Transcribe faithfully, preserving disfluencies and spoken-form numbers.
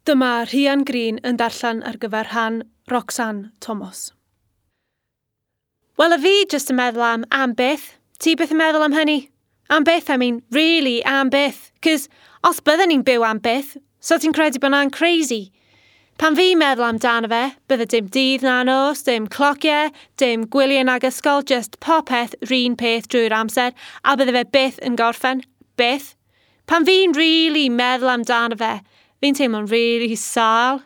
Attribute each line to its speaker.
Speaker 1: Dyma Rhian Green yn darllen ar gyfer rhan Roxanne Thomas. Wel, y fi jyst yn meddwl am am byth. Ti byth yn meddwl am hynny? Am byth, I mean, really, am byth. Cos os bydden ni'n byw am byth, so ti'n credu bod 'na'n crazy? Pan fi'n meddwl amdano fe, bydde dim dydd na nos, dim clociau, dim gwyliau nag ysgol, just popeth run peth drwy'r amser, a bydde fe byth yn gorffen. Byth. Pan fi'n really meddwl amdano fe, fi'n teimlo'n really sâl.